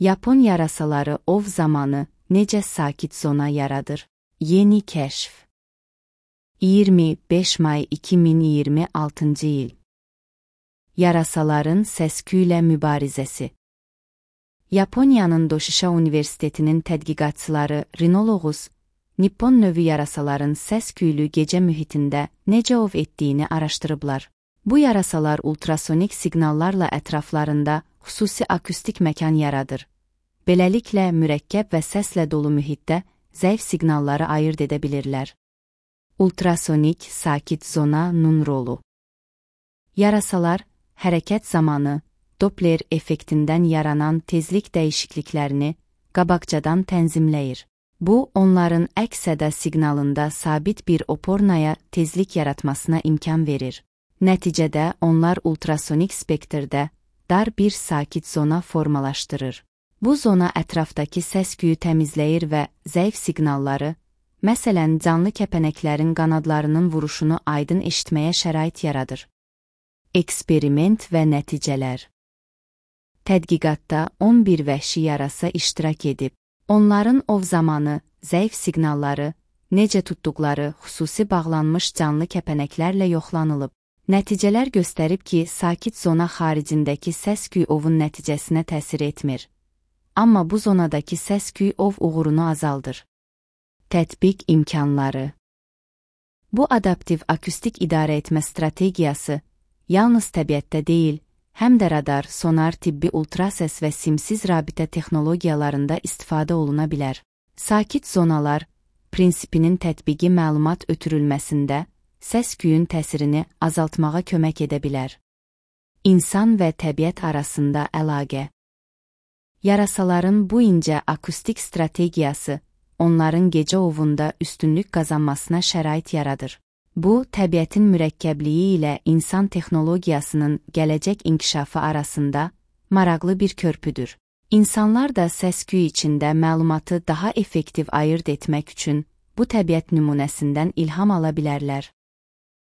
Yapon yarasaları ov zamanı necə sakit zona yaradır? Yeni kəşf. 25 may 2026 il. Yarasaların səs-küylə mübarizəsi. Yaponiyanın Doshişa Universitetinin tədqiqatçıları rinologus, Nippon növü yarasaların səs-küylü gecə mühitində necə ov etdiyini araşdırıblar. Bu yarasalar ultrasonik siqnallarla ətraflarında xüsusi akustik məkan yaradır. Beləliklə, mürəkkəb və səslə dolu mühitdə zəif siqnalları ayırd edə bilirlər. Ultrasonik sakit zonanın rolu. Yarasalar, hərəkət zamanı Doppler effektindən yaranan tezlik dəyişikliklərini qabaqcadan tənzimləyir. Bu, onların əks-səda siqnalında sabit bir opornaya tezlik yaratmasına imkan verir. Nəticədə, onlar ultrasonik spektrdə dar bir sakit zona formalaşdırır. Bu zona ətrafdakı səs-küyü təmizləyir və zəif siqnalları, məsələn, canlı kəpənəklərin qanadlarının vuruşunu aydın eşitməyə şərait yaradır. Eksperiment və nəticələr. Tədqiqatda 11 vəhşi yarasa iştirak edib. Onların ov zamanı zəif siqnalları, necə tutduqları xüsusi bağlanmış canlı kəpənəklərlə yoxlanılıb. Nəticələr göstərib ki, sakit zona xaricindəki səs-küy ovun nəticəsinə təsir etmir. Amma bu zonadakı səs-küy ov uğurunu azaldır. Tətbiq imkanları. Bu adaptiv akustik idarə etmə strategiyası yalnız təbiətdə deyil, həm də radar, sonar, tibbi ultrasəs və simsiz rabitə texnologiyalarında istifadə oluna bilər. Sakit zonalar prinsipinin tətbiqi məlumat ötürülməsində səs-küyün təsirini azaltmağa kömək edə bilər. İnsan və təbiət arasında əlaqə. Yarasaların bu incə akustik strategiyası onların gecə ovunda üstünlük qazanmasına şərait yaradır. Bu, təbiətin mürəkkəbliyi ilə insan texnologiyasının gələcək inkişafı arasında maraqlı bir körpüdür. İnsanlar da səs-küy içində məlumatı daha effektiv ayırd etmək üçün bu təbiət nümunəsindən ilham ala bilərlər.